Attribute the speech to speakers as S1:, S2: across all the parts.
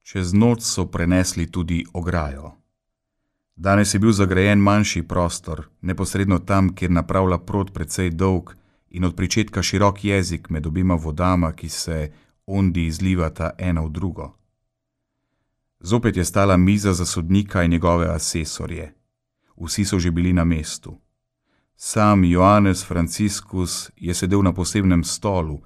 S1: Čez noč so prenesli tudi ograjo. Danes je bil zagrajen manjši prostor, neposredno tam, kjer napravlja prod precej dolg in od pričetka širok jezik med obima vodama, ki se ondi izlivata ena v drugo. Zopet je stala miza za sodnika in njegove asesorje. Vsi so že bili na mestu. Sam Joannes Franciscus je sedel na posebnem stolu,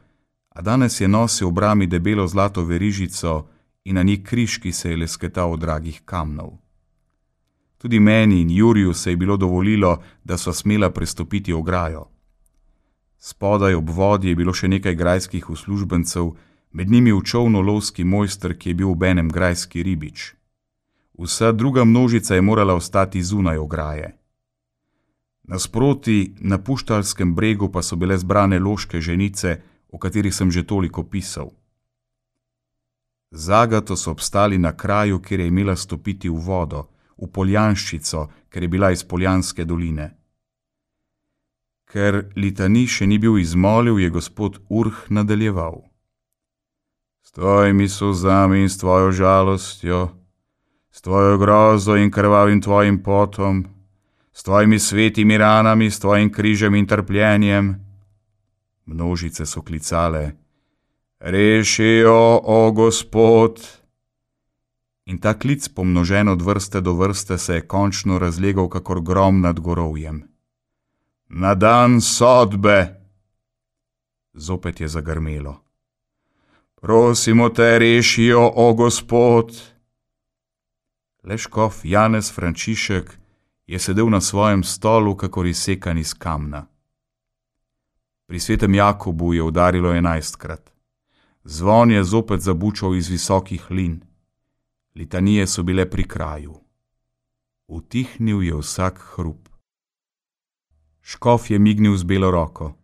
S1: a danes je nosil v brami debelo zlato verižico in na njih križ, ki se je lesketal od dragih kamnov. Tudi meni in Juriju se je bilo dovolilo, da so smela prestopiti ograjo. Spodaj ob vodi je bilo še nekaj grajskih uslužbencev, med njimi v čolnu lovski mojster, ki je bil obenem grajski ribič. Vsa druga množica je morala ostati zunaj ograje. Nasproti, na Puštalskem bregu pa so bile zbrane loške ženice, o katerih sem že toliko pisal. Z Agato so obstali na kraju, kjer je imela stopiti v vodo, v Poljanščico, ker je bila iz Poljanske doline. Ker litanij še ni bil izmolil, je gospod Urh nadaljeval. S tvojimi solzami in s tvojo žalostjo, s tvojo grozo in krvavim tvojim potom, s tvojimi svetimi ranami, s tvojim križem in trpljenjem. Množice so klicale, reši jo, o Gospod! In ta klic, pomnožen od vrste do vrste, se je končno razlegal kakor grom nad gorovjem. Na dan sodbe! Zopet je zagrmelo. Prosimo te, reši jo, o Gospod! Le škof Janez Frančišek je sedel na svojem stolu, kakor izsekan iz kamna. Pri svetem Jakobu je udarilo 11-krat. Zvon je zopet zabučal iz visokih lin. Litanije so bile pri kraju. Utihnil je vsak hrup. Škof je mignil z belo roko.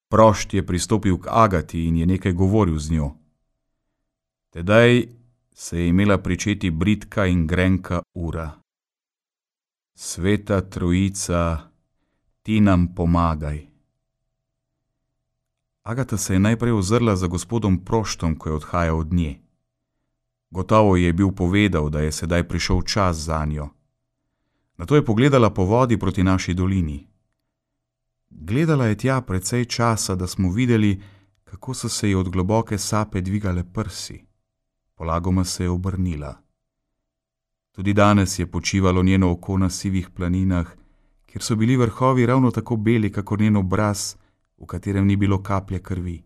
S1: Prošt je pristopil k Agati in je nekaj govoril z njo. Tedaj se je imela pričeti bridka in grenka ura. Sveta Trojica, ti nam pomagaj. Agata se je najprej ozrla za gospodom Proštom, ko je odhajal od nje. Gotovo je bil povedal, da je sedaj prišel čas zanjo. Nato je pogledala po vodi proti naši dolini. Gledala je tja precej časa, da smo videli, kako so se ji od globoke sape dvigale prsi. Polagoma se je obrnila. Tudi danes je počivalo njeno oko na sivih planinah, kjer so bili vrhovi ravno tako beli, kakor njen obraz, v katerem ni bilo kaplje krvi.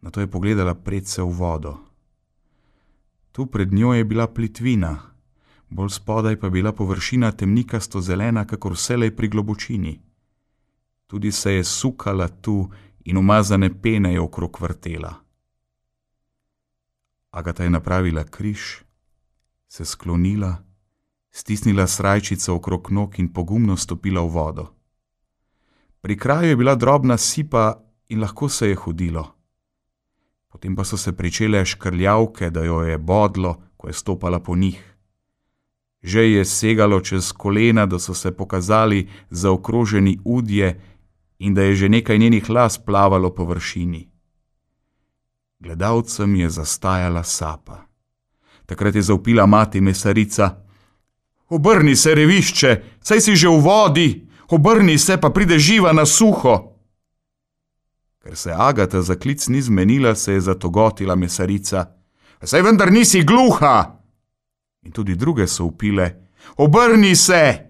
S1: Nato je pogledala predse v vodo. Tu pred njo je bila plitvina, bolj spodaj pa bila površina temnikasto zelena, kakor vselej pri globočini. Tudi se je sukala tu in umazane pene je okrog vrtela. Agata je napravila križ, se sklonila, stisnila srajčico okrog nog in pogumno stopila v vodo. Pri kraju je bila drobna sipa in lahko se je hodilo. Potem pa so se pričele škrljavke, da jo je bodlo, ko je stopala po njih. Že je segalo čez kolena, da so se pokazali zaokroženi udje in da je že nekaj njenih las plavalo po vršini. Gledalcem je zastajala sapa. Takrat je zavpila mati mesarica. Obrni se, revišče, saj si že v vodi, obrni se, pa pride živa na suho. Ker se Agata za klic ni zmenila, se je zatogotila mesarica. Saj vendar nisi gluha! In tudi druge so vpile. Obrni se!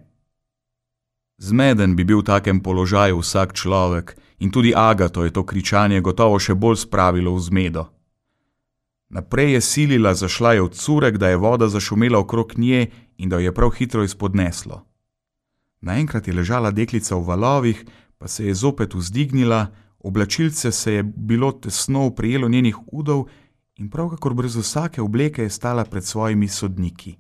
S1: Zmeden bi bil v takem položaju vsak človek in tudi Agato je to kričanje gotovo še bolj spravilo v zmedo. Naprej je silila, zašla je v curek, da je voda zašumela okrog nje in da jo je prav hitro izpodneslo. Naenkrat je ležala deklica v valovih, pa se je zopet vzdignila, oblačilce se je bilo tesno oprijelo njenih udov in prav kakor brez vsake obleke je stala pred svojimi sodniki.